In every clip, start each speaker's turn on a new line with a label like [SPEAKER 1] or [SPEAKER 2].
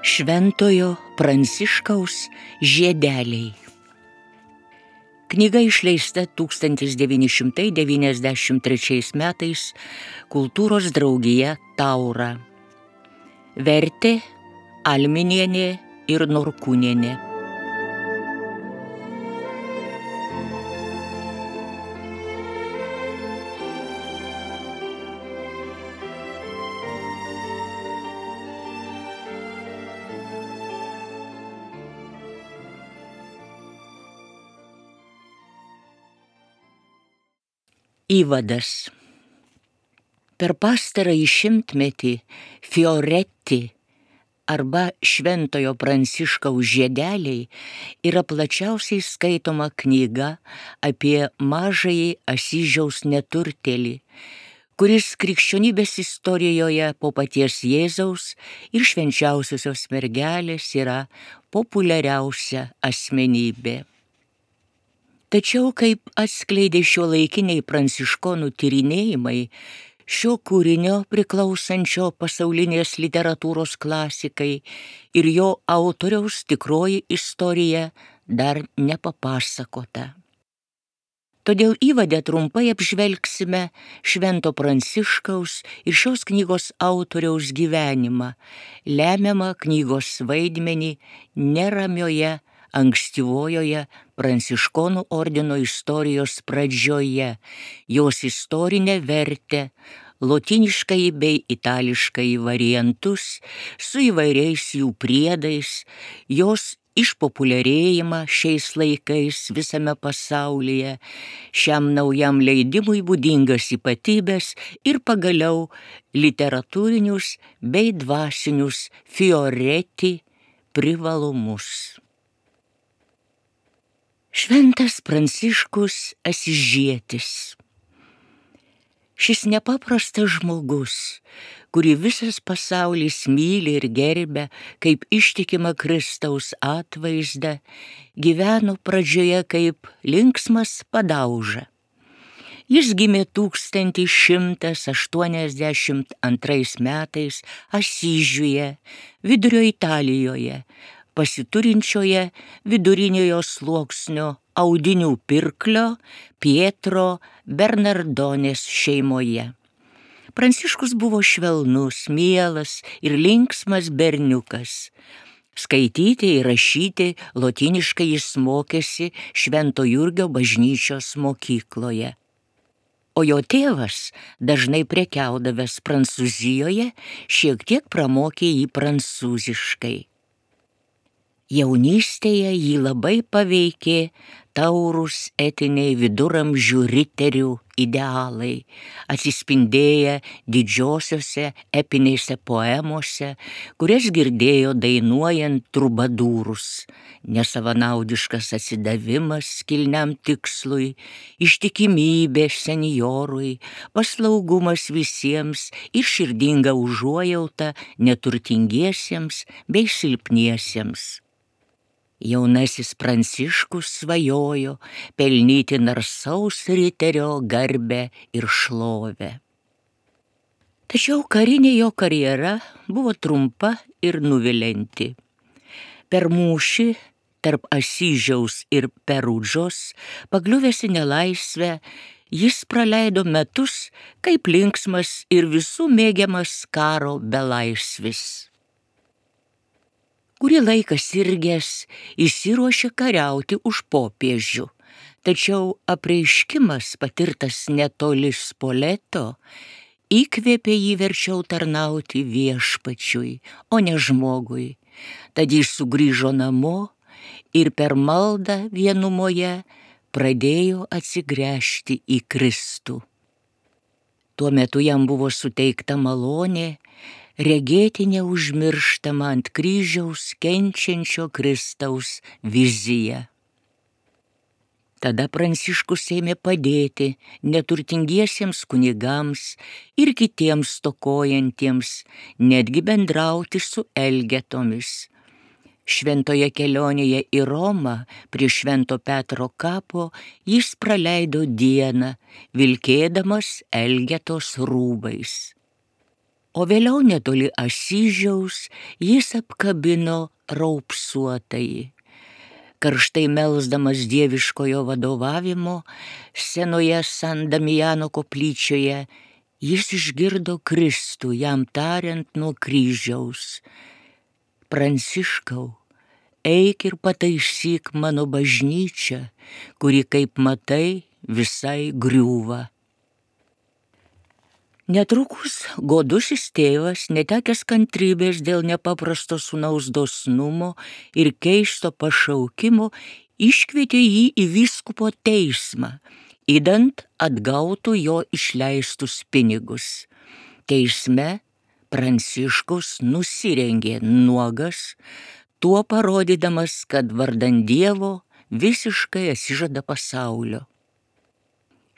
[SPEAKER 1] Šventojo Pranciškaus žiedeliai. Knyga išleista 1993 metais Kultūros draugija Taura. Vertė Alminienė ir Norkūnienė. Įvadas. Per pastarąjį šimtmetį Fioretti arba Šventojo Pranciškaus žiedeliai yra plačiausiai skaitoma knyga apie mažąjį Asyžiaus neturtėlį, kuris krikščionybės istorijoje po paties Jėzaus ir švenčiausiosios mergelės yra populiariausia asmenybė. Tačiau, kaip atskleidė šiuolaikiniai pranciškonų tyrinėjimai, šio kūrinio priklausančio pasaulinės literatūros klasikai ir jo autoriaus tikroji istorija dar nepapasakota. Todėl įvade trumpai apžvelgsime Švento Pranciškaus ir šios knygos autoriaus gyvenimą, lemiamą knygos vaidmenį neramioje ankstyvojoje Pranciškonų ordino istorijos pradžioje, jos istorinę vertę, lotyniškai bei itališkai variantus su įvairiais jų priedais, jos išpopuliarėjimą šiais laikais visame pasaulyje, šiam naujam leidimui būdingas ypatybes ir pagaliau literatūrinius bei dvasinius Fioretti privalumus. Šventas Pranciškus Asyžietis. Šis nepaprastas žmogus, kurį visas pasaulis myli ir gerbia kaip ištikimą Kristaus atvaizdą, gyveno pradžioje kaip linksmas padauža. Jis gimė 1182 metais Asyžiuje, Vidurio Italijoje, pasiturinčioje viduriniojo sluoksnio audinių pirklio Pietro Bernardonės šeimoje. Pranciškus buvo švelnus, mielas ir linksmas berniukas. Skaityti ir rašyti lotyniškai jis mokėsi Švento Jurgio bažnyčios mokykloje. O jo tėvas, dažnai prekiaudavęs Prancūzijoje, šiek tiek pramokė jį prancūziškai. Jaunystėje jį labai paveikė taurūs etiniai viduramžių riterių idealai, atsispindėję didžiosiose epinėse poemose, kurias girdėjo dainuojant trubadūrus, nesavanaudiškas atsidavimas kilniam tikslui, ištikimybė senjorui, paslaugumas visiems ir širdinga užuojauta neturtingiesiems bei silpniesiems. Jaunasis Pranciškus svajojo pelnyti narsaus riterio garbę ir šlovę. Tačiau karinė jo karjera buvo trumpa ir nuvilianti. Per mūšį tarp Asyžiaus ir Perudžos, pakliuvęs į nelaisvę, jis praleido metus kaip linksmas ir visų mėgiamas karo belaisvis. Kurį laiką sirgęs išsiruošė kariauti už popiežių, tačiau apreiškimas patirtas netoli Spoleto įkvėpė jį verčiau tarnauti viešpačiui, o ne žmogui. Tad jis sugrįžo namo ir per maldą vienumoje pradėjo atsigręžti į Kristų. Tuo metu jam buvo suteikta malonė regėti neužmirštamą ant kryžiaus kenčiančio Kristaus viziją. Tada Pranciškus ėmė padėti neturtingiesiems kunigams ir kitiems stokojantiems, netgi bendrauti su elgetomis. Šventoje kelionėje į Romą prie Švento Petro kapo jis praleido dieną, vilkėdamas Elgetos rūbais. O vėliau netoli Asyžiaus jis apkabino raupsuotąjį. Karštai melsdamas dieviškojo vadovavimo senoje San Damijano koplyčioje, jis išgirdo Kristų jam tariant nuo kryžiaus: Pranciškau, eik ir pataisyk mano bažnyčią, kuri, kaip matai, visai griūva. Netrukus godusis tėvas, netekęs kantrybės dėl nepaprasto sūnaus dosnumo ir keisto pašaukimo, iškvietė jį į vyskupo teismą, idant atgautų jo išleistus pinigus. Teisme Pranciškus nusirengė nuogas, tuo parodydamas, kad vardan Dievo visiškai atsižada pasaulio.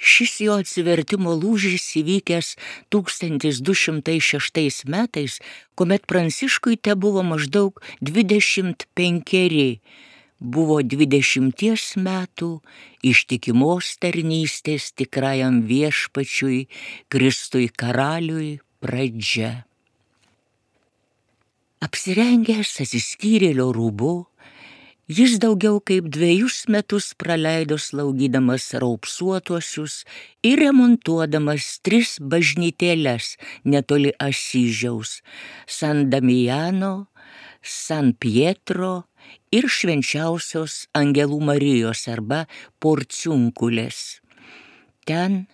[SPEAKER 1] Šis jo atsivertimo lūžis įvykęs 1206 metais, kuomet Pranciškui tebuvo maždaug 25, buvo 20 metų ištikimos tarnystės tikrajam viešpačiui, Kristui karaliui pradžia. Apsirengęs atsiskyrėlio rūbu, jis daugiau kaip 2 metus praleido slaugydamas raupsuotuosius ir remontuodamas 3 bažnytėles netoli Asyžiaus – San Damijano, San Pietro ir Švenčiausios Angelų Marijos arba Porciunkulės. Ten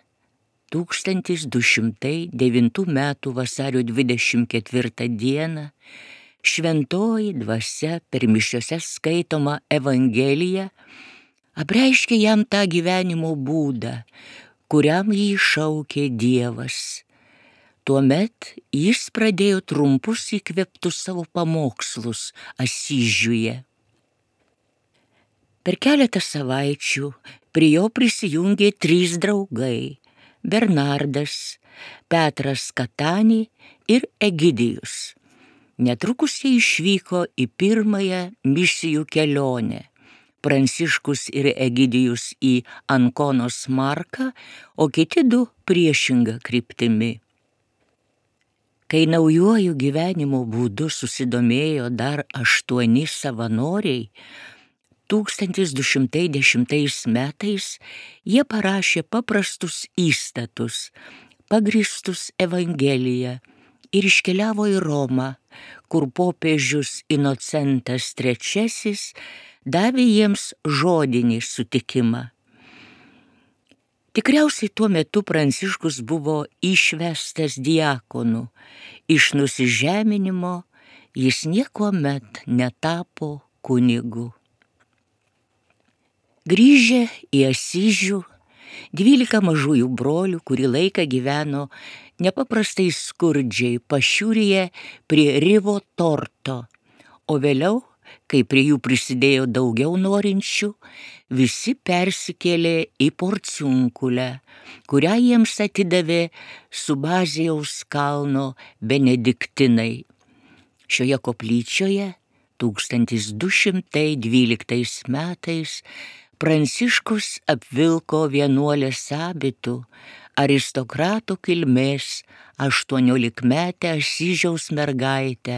[SPEAKER 1] 1209 metų vasario 24 dieną Šventoji dvasia per mišiose skaitoma Evangelija apreiškė jam tą gyvenimo būdą, kuriam jį šaukė Dievas. Tuomet jis pradėjo trumpus įkvėptus savo pamokslus Asyžiuje. Per keletą savaičių prie jo prisijungė 3 draugai – Bernardas, Petras Katanį ir Egidijus. Netrukus jie išvyko į pirmąją misijų kelionę. Pranciškus ir Egidijus į Ankonos Marką, o kiti 2 priešinga kryptimi. Kai naujuoju gyvenimo būdu susidomėjo dar 8 savanoriai, 1210 metais jie parašė paprastus įstatus, pagrįstus Evangelija, ir iškeliavo į Romą, kur popiežius Inocentas III davė jiems žodinį sutikimą. Tikriausiai tuo metu Pranciškus buvo išvestas diakonu. Iš nusižeminimo jis niekuomet netapo kunigu. Grįžę į Asyžių, 12 mažųjų brolių kurį laiką gyveno nepaprastai skurdžiai pašiūrėje prie Rivo Torto, o vėliau, kai prie jų prisidėjo daugiau norinčių, visi persikėlė į Porciunkulę, kurią jiems atidavė Subazijaus kalno benediktinai. Šioje koplyčioje 1212 metais Pranciškus apvilko vienuolės abitu aristokratų kilmės 18-metę Asyžiaus mergaitę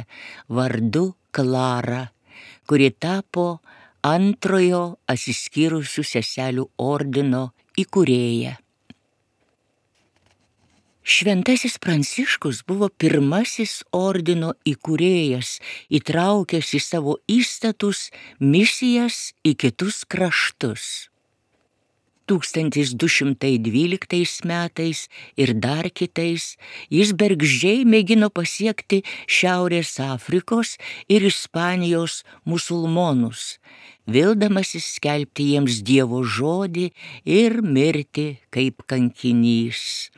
[SPEAKER 1] vardu Klara, kuri tapo antrojo atsiskyrusių seselių ordino įkūrėja. Šventasis Pranciškus buvo pirmasis ordino įkūrėjas, įtraukęs į savo įstatus misijas į kitus kraštus. 1212 metais ir dar kitais jis bergždžiai mėgino pasiekti Šiaurės Afrikos ir Ispanijos musulmonus, vildamasis skelbti jiems Dievo žodį ir mirti kaip kankinys.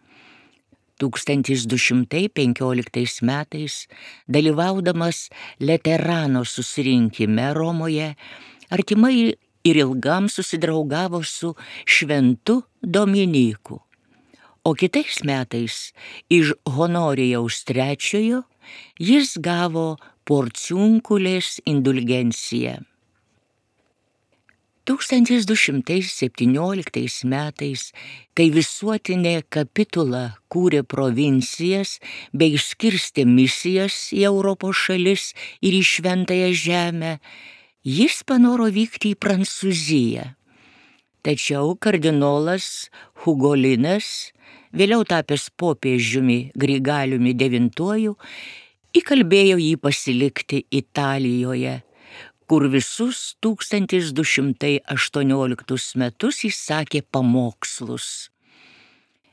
[SPEAKER 1] 1215 metais, dalyvaudamas Leterano susirinkime Romoje, artimai ir ilgam susidraugavo su Šventu Dominyku. O kitais metais iš Honorijaus III jis gavo porciunculės indulgencija. 1217 metais, kai visuotinė kapitula kūrė provincijas bei išskirstė misijas į Europos šalis ir į Šventąją žemę, jis panoro vykti į Prancūziją. Tačiau kardinolas Hugolinas, vėliau tapęs popiežiumi Grigaliumi IX, įkalbėjo jį pasilikti Italijoje, kur visus 1218 metus jis sakė pamokslus.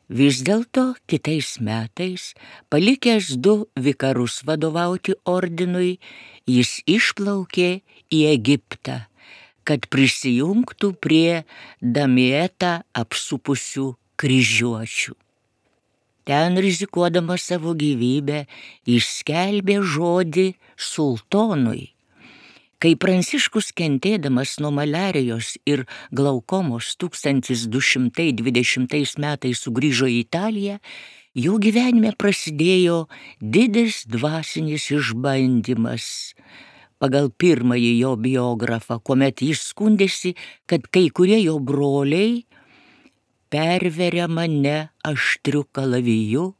[SPEAKER 1] Vis dėlto kitais metais, palikęs 2 vikarus vadovauti ordinui, jis išplaukė į Egiptą, kad prisijungtų prie Damietą apsupusių kryžiuočių. Ten rizikuodamas savo gyvybę, jis skelbė žodį sultonui. Kai Pranciškus kentėdamas nuo maliarijos ir glaukomos 1220 metais sugrįžo į Italiją, jo gyvenime prasidėjo didis dvasinis išbandymas. Pagal pirmąjį jo biografą, kuomet jis skundėsi, kad kai kurie jo broliai perveria mane aštriu kalaviju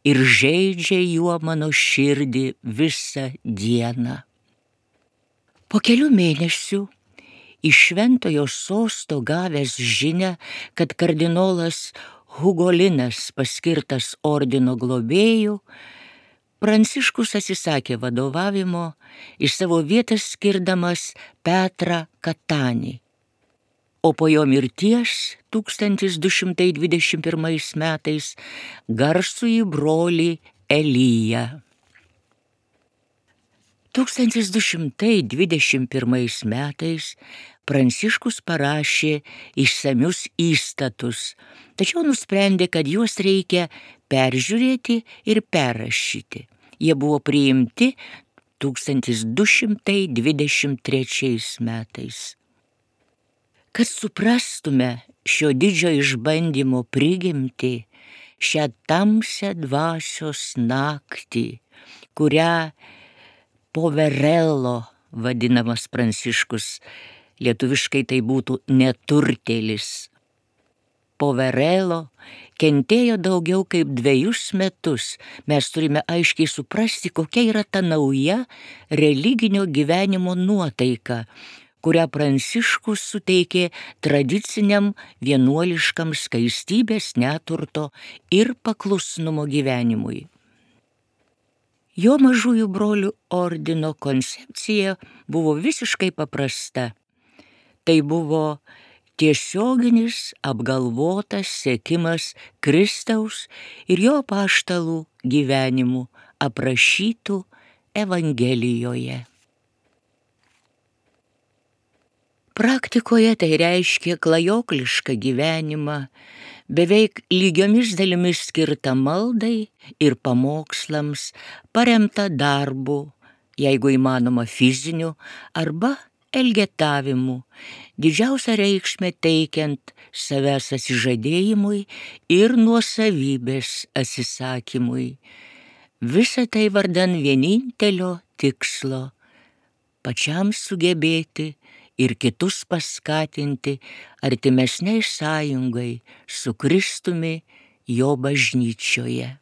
[SPEAKER 1] ir žeidžia juo mano širdį visą dieną. Po kelių mėnesių iš Šventojo sosto gavęs žinią, kad kardinolas Hugolinas paskirtas ordino globėjų, Pranciškus atsisakė vadovavimo, iš savo vietos skirdamas Petrą Katanį. O po jo mirties 1221 metais garsųjį brolį Eliją. 1221 metais Pranciškus parašė išsamius įstatus, tačiau nusprendė, kad juos reikia peržiūrėti ir perrašyti. Jie buvo priimti 1223 metais. Kad suprastume šio didžio išbandymo prigimtį, šią tamsią dvasios naktį, kurią Poverello vadinamas Pranciškus, lietuviškai tai būtų neturtėlis. Poverello kentėjo daugiau kaip 2 metus. Mes turime aiškiai suprasti, kokia yra ta nauja religinio gyvenimo nuotaika, kurią Pranciškus suteikė tradiciniam vienuoliškam skaistybės, neturto ir paklusnumo gyvenimui. Jo mažųjų brolių ordino koncepcija buvo visiškai paprasta. Tai buvo tiesioginis apgalvotas sekimas Kristaus ir jo apaštalų gyvenimų aprašytų Evangelijoje. Praktikoje tai reiškia klajoklišką gyvenimą, beveik lygiomis dalimis skirtą maldai ir pamokslams, paremtą darbu, jeigu įmanoma fiziniu, arba elgetavimu, didžiausią reikšmę teikiant savęs atsižadėjimui ir nuosavybės atsisakymui. Visa tai vardan vienintelio tikslo – pačiam sugebėti ir kitus paskatinti artimesniai sąjungai su Kristumi jo bažnyčioje.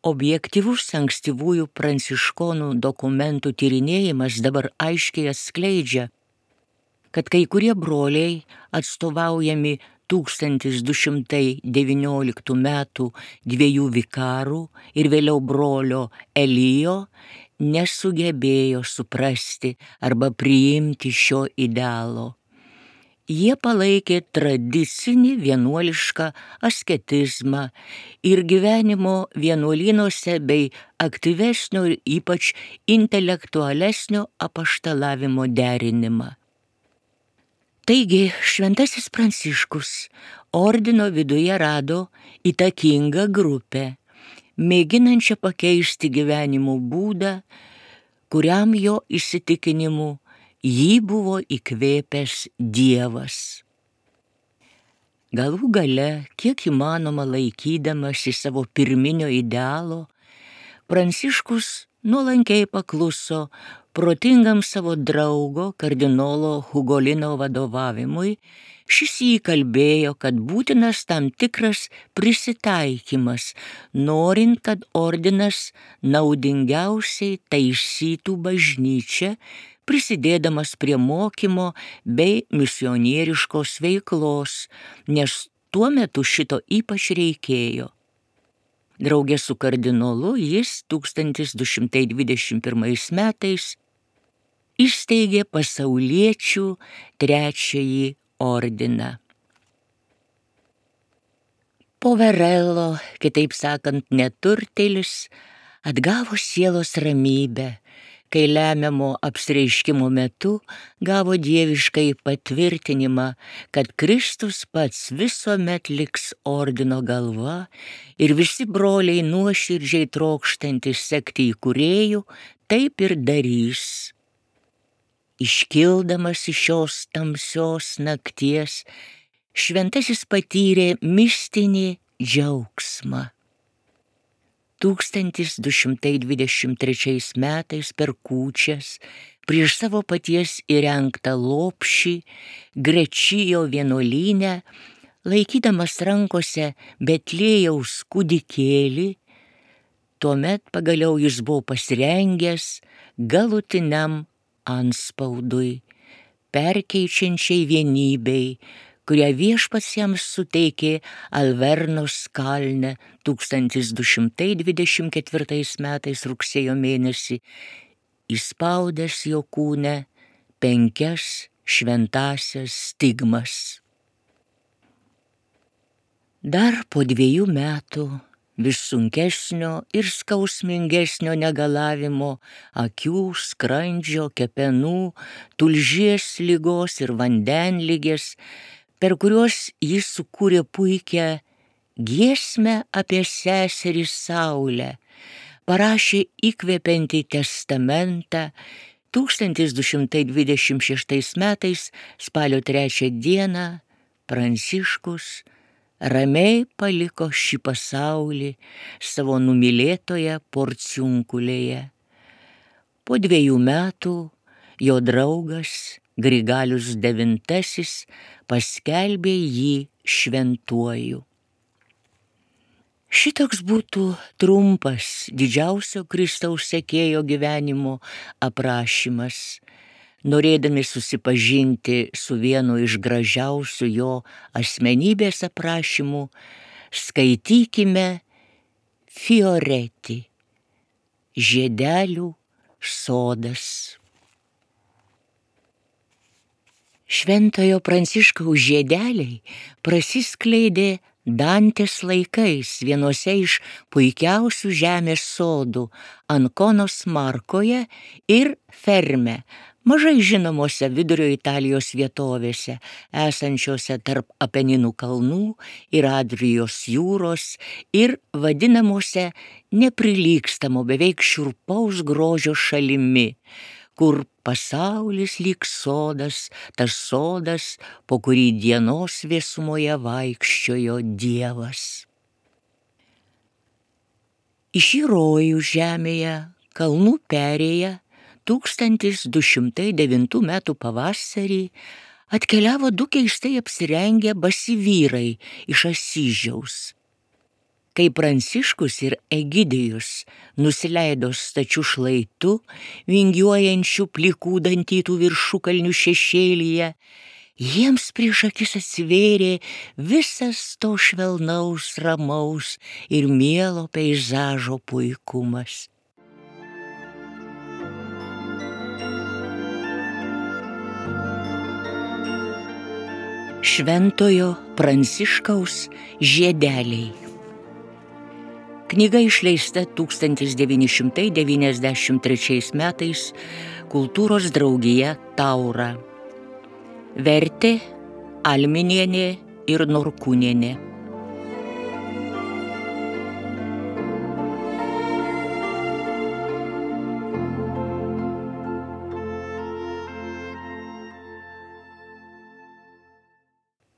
[SPEAKER 1] Objektyvus ankstyvųjų pranciškonų dokumentų tyrinėjimas dabar aiškiai atskleidžia, kad kai kurie broliai, atstovaujami 1219 metų 2 vikarų ir vėliau brolio Elijo, nesugebėjo suprasti arba priimti šio idealo. Jie palaikė tradicinį vienuolišką asketizmą ir gyvenimo vienuolynuose bei aktyvesnio ir ypač intelektualesnio apaštalavimo derinimą. Taigi šventasis Pranciškus ordino viduje rado įtakingą grupę, mėginančią pakeisti gyvenimo būdą, kuriam jo įsitikinimu jį buvo įkvėpęs Dievas. Galų gale, kiek įmanoma laikydamasi savo pirminio idealo, Pranciškus nuolankiai pakluso protingam savo draugo kardinolo Hugolino vadovavimui. Šis jį kalbėjo, kad būtinas tam tikras prisitaikymas, norint, kad ordinas naudingiausiai taisytų bažnyčią, prisidėdamas prie mokymo bei misionieriškos veiklos, nes tuo metu šito ypač reikėjo. Draugė su kardinolu jis 1221 metais įsteigė pasauliečių trečiąjį ordiną. Poverello, kitaip sakant, neturtėlis, atgavo sielos ramybę, kai lemiamo apsireiškimo metu gavo dieviškai patvirtinimą, kad Kristus pats visuomet liks ordino galva ir visi broliai nuoširdžiai trokštantys sekti įkūrėjų taip ir darys. Iškildamas iš šios tamsios nakties, šventasis patyrė mistinį džiaugsmą. 1223 metais per kūčias prieš savo paties įrengtą lopšį Grečijo vienuolyne, laikydamas rankose Betliejaus kūdikėlį, tuomet pagaliau jis buvo pasirengęs galutiniam anspaudui, perkeičiančiai vienybei, kurią viešpats jam suteikė Alvernos kalne 1224 metais rugsėjo mėnesį, įspaudęs jo kūne 5 šventąsias stigmas. Dar po 2 metų vis sunkesnio ir skausmingesnio negalavimo, akių, skrandžio, kepenų, tulžies ligos ir vandenligės, per kuriuos jis sukūrė puikią giesmę apie seserį Saulę, parašė įkvepiantį testamentą. 1226 metais spalio 3 dieną Pranciškus ramiai paliko šį pasaulį savo numylėtoje Porciunkulėje. Po 2 metų jo draugas Grigalius IX paskelbė jį šventuoju. Šitoks būtų trumpas didžiausio Kristaus sekėjo gyvenimo aprašymas. Norėdami susipažinti su vienu iš gražiausių jo asmenybės aprašymų, skaitykime Fioretti, žiedelių sodas. Šventojo Pranciškaus žiedeliai prasiskleidė Dantės laikais vienose iš puikiausių žemės sodų Ankonos Markoje ir Ferme, mažai žinomose vidurio Italijos vietovėse, esančiose tarp Apeninų kalnų ir Adrijos jūros ir vadinamuose neprilygstamo beveik šiurpaus grožio šalimi, kur pasaulis lyg sodas, tas sodas, po kurį dienos vėsumoje vaikščiojo Dievas. Į šį rojų žemėje, kalnų perėję, 1209 metų pavasarį atkeliavo 2 keistai apsirengę basi vyrai iš Asyžiaus. Kai Pranciškus ir Egidijus nusileido stačiu šlaitu, vingiuojančių plikų dantytų viršukalnių šešėlyje, jiems prieš akis atsivėrė visas to švelnaus, ramaus ir mielo peizažo puikumas. Šventojo Pranciškaus žiedeliai. Knyga išleista 1993 metais Kultūros draugija Taura. Vertė Alminienė ir Norkūnienė.